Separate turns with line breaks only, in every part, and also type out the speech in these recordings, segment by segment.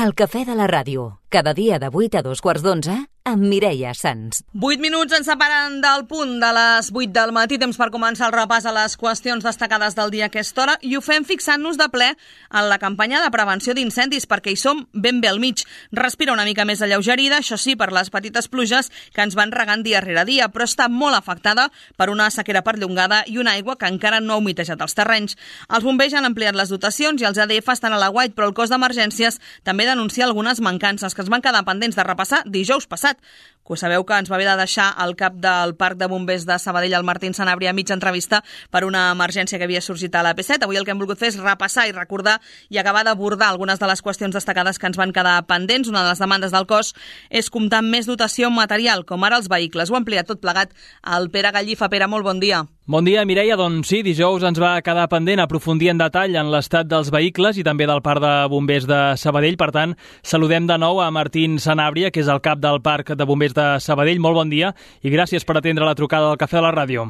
El cafè de la ràdio, cada dia de 8 a 2:45, amb Mireia Sans.
8 minuts ens separen del punt de les 8 del matí, temps per començar el repàs a les qüestions destacades del dia a aquesta hora, i ho fem fixant-nos de ple en la campanya de prevenció d'incendis, perquè hi som ben bé al mig. Respira una mica més alleugerida, això sí, per les petites pluges que ens van regant dia rere dia, però està molt afectada per una sequera perllongada i una aigua que encara no ha humitejat els terrenys. Els bombers han ampliat les dotacions i els ADF estan a l'aguait, però el cos d'emergències també denuncia algunes mancances que es van quedar pendents de repassar dijous passat. Que sabeu que ens va haver de deixar el cap del Parc de Bombers de Sabadell, el Martín Sanabria, a mitja entrevista per una emergència que havia sorgit a l'AP7. Avui el que hem volgut fer és repassar i recordar i acabar d'abordar algunes de les qüestions destacades que ens van quedar pendents. Una de les demandes del cos és comptar amb més dotació material, com ara els vehicles. Ho ha ampliat tot plegat el Pere Gallifa. Pere, molt bon dia.
Bon dia, Mireia. Doncs sí, dijous ens va quedar pendent aprofundir en detall en l'estat dels vehicles i també del Parc de Bombers de Sabadell. Per tant, saludem de nou a Martín Sanabria, que és el cap del Parc de Bombers de Sabadell. Molt bon dia i gràcies per atendre la trucada del Cafè de la Ràdio.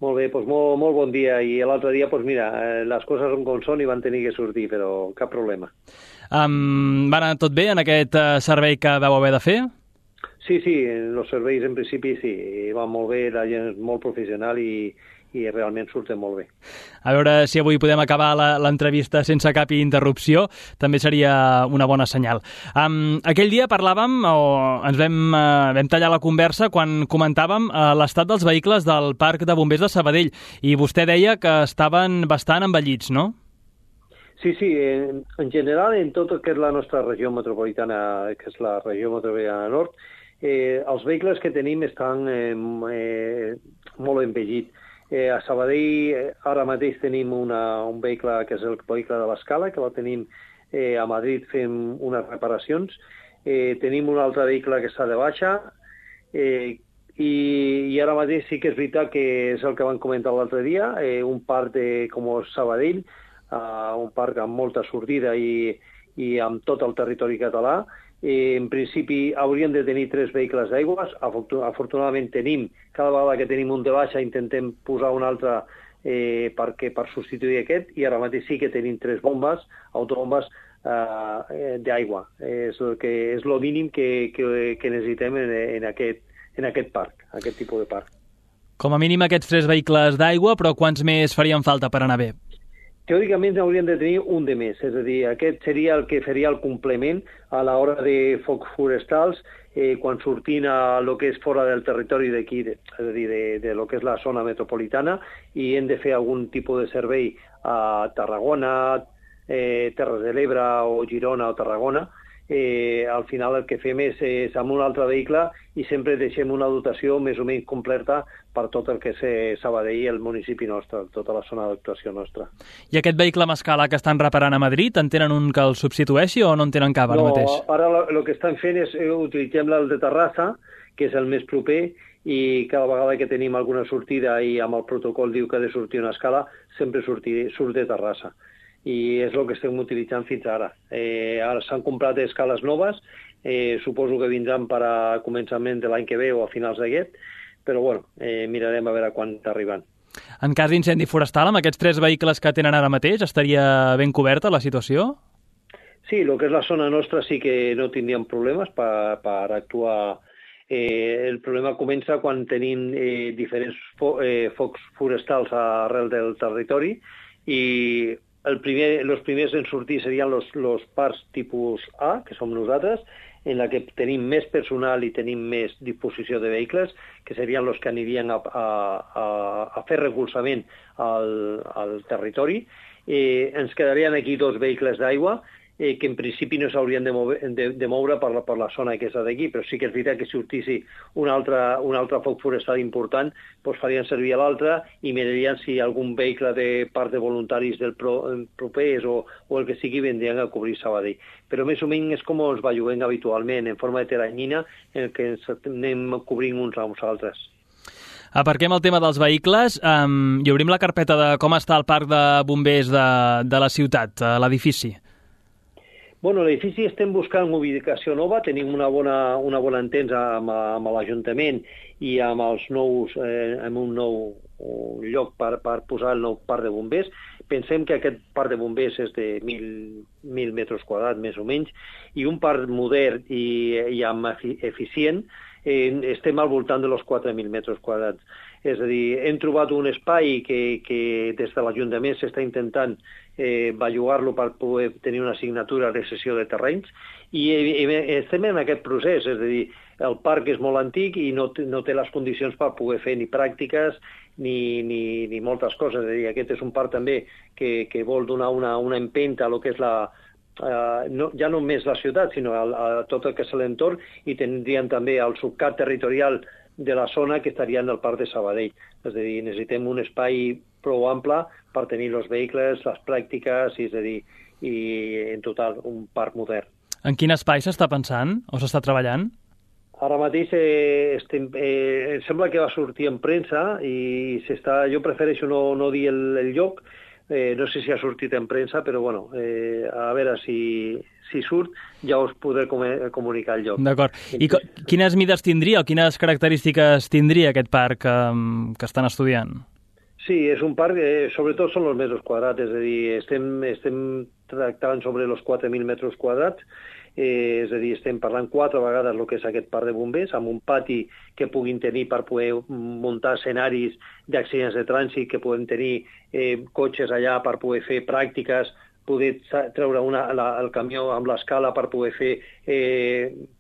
Molt bé, doncs molt bon dia. I l'altre dia, doncs mira, les coses són com són i van tenir que sortir, però cap problema.
Va anar tot bé en aquest servei que vau haver de fer?
Sí, els serveis en principi sí, van molt bé, la gent és molt professional i realment surten molt bé.
A veure si avui podem acabar l'entrevista sense cap interrupció, també seria una bona senyal. Aquell dia parlàvem, o ens vam tallar la conversa quan comentàvem l'estat dels vehicles del Parc de Bombers de Sabadell i vostè deia que estaven bastant envellits, no?
Sí, en general en tot el que és la nostra regió metropolitana, que és la regió metropolitana nord, els vehicles que tenim estan molt envellit. A Sabadell ara mateix tenim un vehicle que és el vehicle de l'Escala, que la tenim a Madrid fent unes reparacions. Tenim un altre vehicle que està de baixa i ara mateix sí que és veritat que és el que vam comentar l'altre dia, un parc com Sabadell, un parc amb molta sortida i amb tot el territori català. En principi hauríem de tenir 3 vehicles d'aigües. Afortunadament cada vegada que tenim un de baixa intentem posar un altre per substituir aquest, i ara mateix sí que tenim 3 bombes, autobombes d'aigua. És el mínim que necessitem en aquest parc, aquest tipus de parc.
Com a mínim aquests 3 vehicles d'aigua, però quants més farien falta per anar bé?
Teòricament hauríem de tenir un de més, és a dir, aquest seria el que faria el complement a l'hora de focs forestals quan sortim a lo que és fora del territori d'aquí, és a dir, de lo que és la zona metropolitana, i hem de fer algun tipus de servei a Tarragona, Terres de l'Ebre o Girona o Tarragona. Al final el que fem és amb un altre vehicle i sempre deixem una dotació més o menys completa per tot el que és Sabadell i el municipi nostre, tota la zona d'actuació nostra.
I aquest vehicle amb escala que estan reparant a Madrid, en tenen un que el substitueixi o no en tenen cap ara mateix?
No, ara el que estan fent és utilitzem el de Terrassa, que és el més proper, i cada vegada que tenim alguna sortida i amb el protocol diu que ha de sortir una escala, sempre surt de Terrassa. I és el que estem utilitzant fins ara. Ara s'han comprat escales noves, suposo que vindran per a començament de l'any que ve o a finals d'aquest, però bueno, mirarem a veure quan t'arriben.
En cas d'incendi forestal, amb aquests 3 vehicles que tenen ara mateix, estaria ben coberta la situació?
Sí, el que és la zona nostra sí que no tindríem problemes per actuar. El problema comença quan tenim diferents focs forestals arrel del territori i els primers en sortir serien els parcs tipus A, que som nosaltres, en la que tenim més personal i tenim més disposició de vehicles, que serien els que anirien a fer recolzament al territori. Ens quedarien aquí 2 vehicles d'aigua, que en principi no s'haurien de moure per la zona aquesta d'aquí, però sí que és veritat que si sortissi un altre foc forestal important, doncs farien servir l'altre i mirarien si algun vehicle de part de voluntaris del propers o el que sigui vendrien a cobrir Sabadell. Però més o menys és com ens belluguem habitualment, en forma de teranyina, en què ens anem cobrint uns amb els altres.
Aparquem el tema dels vehicles i obrim la carpeta de com està el parc de bombers de la ciutat, l'edifici.
Bueno, l'edifici estem buscant ubicació nova, tenim una bona entesa amb l'Ajuntament i amb els nous, amb un nou lloc per posar el nou parc de bombers. Pensem que aquest parc de bombers és de 1.000 metres quadrats, més o menys, i un parc modern i eficient estem al voltant de los 4.000 metres quadrats. És a dir, hem trobat un espai que des de l'Ajuntament s'està intentant bellugar-lo per poder tenir una assignatura de cessió de terrenys i estem en aquest procés, és a dir, el parc és molt antic i no té les condicions per poder fer ni pràctiques ni moltes coses. És a dir, aquest és un parc també que vol donar una empenta a lo que és ja no només la ciutat, sinó a tot el que és l'entorn, i tindrien també el subcat territorial de la zona que estaria en el parc de Sabadell. És a dir, necessitem un espai prou ample per tenir els vehicles, les pràctiques, és a dir, i en total un parc modern.
En quin espai s'està pensant o s'està treballant?
Ara mateix sembla que va sortir en premsa i jo prefereixo no dir el lloc. No sé si ha sortit en premsa, però bueno, a veure si surt, ja us podré comunicar el lloc.
D'acord. I quines mides tindria o quines característiques tindria aquest parc que estan estudiant?
Sí, és un parc, sobretot són els metres quadrats, és a dir, estem tractant sobre els 4.000 metres quadrats, és a dir, estem parlant 4 vegades el que és aquest parc de bombers, amb un pati que puguin tenir per poder muntar escenaris d'accidents de trànsit, que puguem tenir cotxes allà per poder fer pràctiques, poder treure el camió amb l'escala per poder fer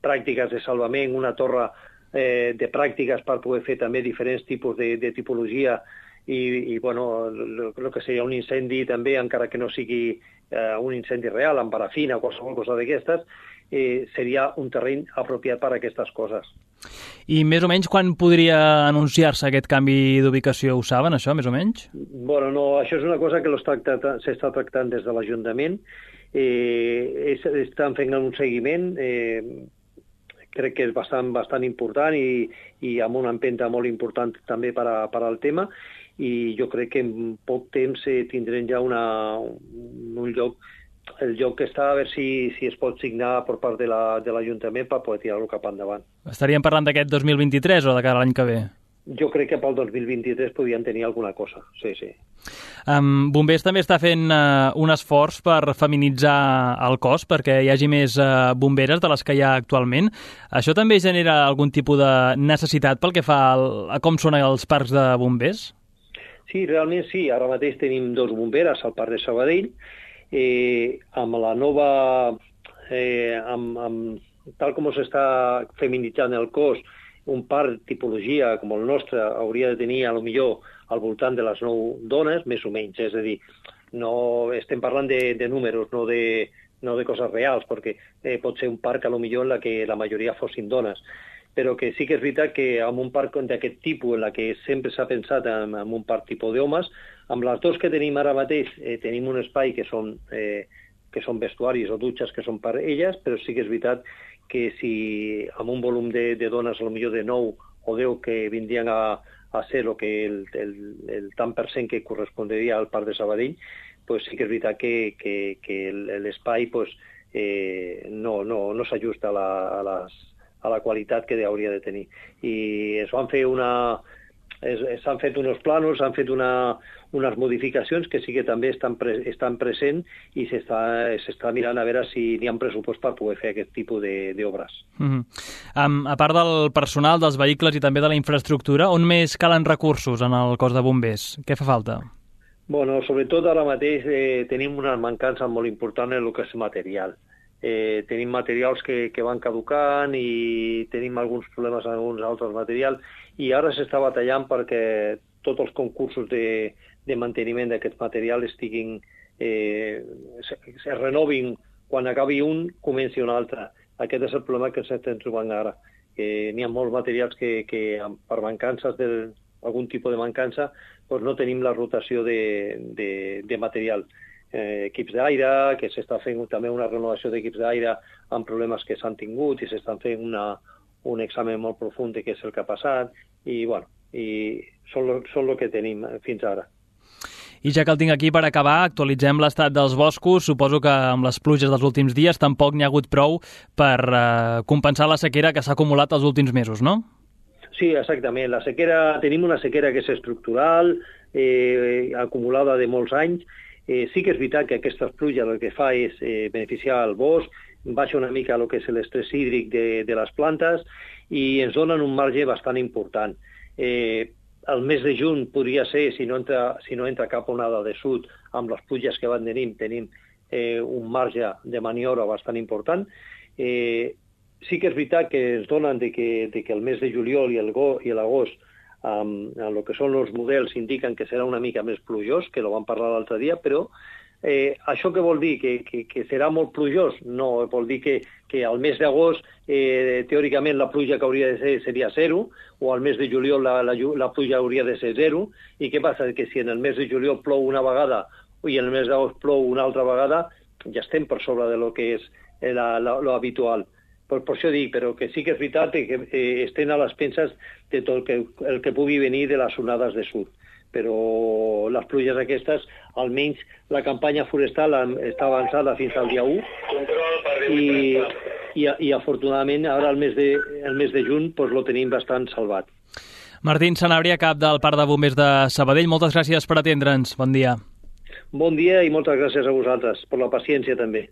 pràctiques de salvament, una torre de pràctiques per poder fer també diferents tipus de tipologia i bueno, el que seria un incendi també, encara que no sigui un incendi real, amb parafina o qualsevol cosa d'aquestes, seria un terreny apropiat per a aquestes coses.
I més o menys quan podria anunciar-se aquest canvi d'ubicació? Ho saben, això, més o menys?
Bueno, no, això és una cosa que s'està tractant des de l'Ajuntament. Estan fent un seguiment, crec que és bastant important i amb una empenta molt important també per al tema, i jo crec que en poc temps tindrem ja un lloc, el lloc que està, a veure si es pot signar per part de l'Ajuntament per poder tirar-lo cap endavant.
Estaríem parlant d'aquest 2023 o de cara a l'any que ve?
Jo crec que pel 2023 podien tenir alguna cosa, sí.
Bombers també està fent un esforç per feminitzar el cos, perquè hi hagi més bomberes de les que hi ha actualment. Això també genera algun tipus de necessitat pel que fa a com són els parcs de bombers?
Sí, realment sí. Ara mateix tenim 2 bomberes al parc de Sabadell. Amb la nova... tal com s'està feminitzant el cos, un parc tipologia com el nostre hauria de tenir, a lo millor, al voltant de les 9 dones, més o menys. És a dir, no estem parlant de números, no de coses reals, perquè pot ser un parc, a lo millor, en la que la majoria fossin dones. Però que sí que és veritat que amb un parc d'aquest tipus, en la que sempre s'ha pensat en un parc tipus d'homes, amb les 2 que tenim ara mateix, tenim un espai que són vestuaris o dutxes que són per elles, però sí que és veritat que si amb un volum de dones, potser de 9 o 10 que vindrien a ser el tant per cent que correspondria al parc de Sabadell, pues sí que és veritat que l'espai no s'ajusta a la qualitat que hauria de tenir. I s'han fet uns planos, s'han fet unes modificacions que sí que també estan presents i s'està mirant a veure si n'hi ha pressupost per poder fer aquest tipus d'obres.
A part del personal, dels vehicles i també de la infraestructura, on més calen recursos en el cos de bombers? Què fa falta?
Bueno, sobretot ara mateix tenim una mancança molt important en el que és material. Tenim materials que van caducant i tenim alguns problemes en alguns altres materials i ara s'està batallant perquè tots els concursos de manteniment d'aquest material es renovin. Quan acabi un, comenci un altre. Aquest és el problema que s'estem trobant ara. N'hi ha molts materials que per mancances d'algun tipus de mancança no tenim la rotació de material. Equips d'aire, que s'està fent també una renovació d'equips d'aire amb problemes que s'han tingut i s'estan fent un examen molt profund de què és el que ha passat i són el que tenim fins ara.
I ja que el tinc aquí per acabar, actualitzem l'estat dels boscos. Suposo que amb les pluges dels últims dies tampoc n'hi ha hagut prou per compensar la sequera que s'ha acumulat els últims mesos, no?
Sí, exactament. La sequera, tenim una sequera que és estructural, acumulada de molts anys. Sí que és veritat que aquestes pluges el que fa és beneficiar el bosc, baixa una mica el que és l'estrès hídric de les plantes i ens donen un marge bastant important. El mes de juny podria ser, si no entra cap onada de sud, amb les pluges que van tenim un marge de maniobra bastant important. Sí que és veritat que ens donen que el mes de juliol i l'agost, en el que són els models, indiquen que serà una mica més plujós, que ho vam parlar l'altre dia, però això què vol dir? Que serà molt plujós? No, vol dir que al mes d'agost teòricament la pluja que hauria de ser seria 0, o al mes de juliol la pluja hauria de ser 0, i què passa? Que si en el mes de juliol plou una vegada i en el mes d'agost plou una altra vegada, ja estem per sobre de lo que és lo habitual. Per això dic, però que sí que és veritat que estem a les penses de tot el que pugui venir de les onades de sud. Però les pluges aquestes, almenys la campanya forestal està avançada fins al dia 1 i afortunadament ara el mes de juny lo tenim bastant salvat.
Martín Sanabria, cap del Parc de Bombers de Sabadell, moltes gràcies per atendre'ns. Bon dia.
Bon dia i moltes gràcies a vosaltres per la paciència també.